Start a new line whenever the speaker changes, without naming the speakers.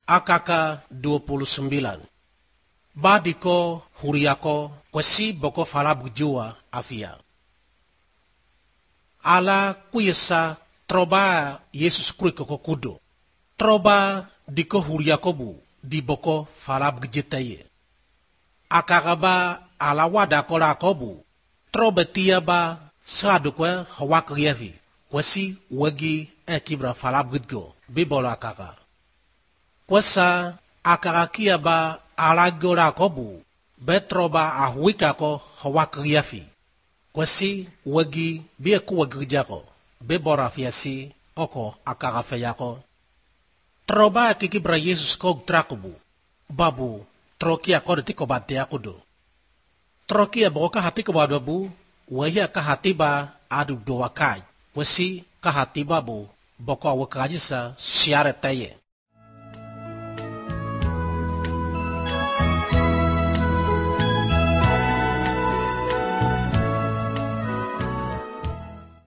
Akaka 29. Badiko huriako kwesi boko falab jua afia. Ala kuyesa troba Yesus kriko kudo. Troba diko huriako bu di boko falab jetaye. Akagaba ala wada kola kobu. Troba tiaba sadukwe hawak yevi. Kwesi wagi ekibra falab gudgo. Bibola akaka. Kwesa akarakia ba alagora kobu betroba ahwika ko hawakriafi kwesi wagi bie ku wagrijako bebora fiasi oko akarafeyako troba kikibra Yesus ko trakubu babu trokia ko detiko bate akudo trokia boka hatiko babu wahia ka hatiba adu dowakai kwesi ka hatiba bu boko wakajisa siare taye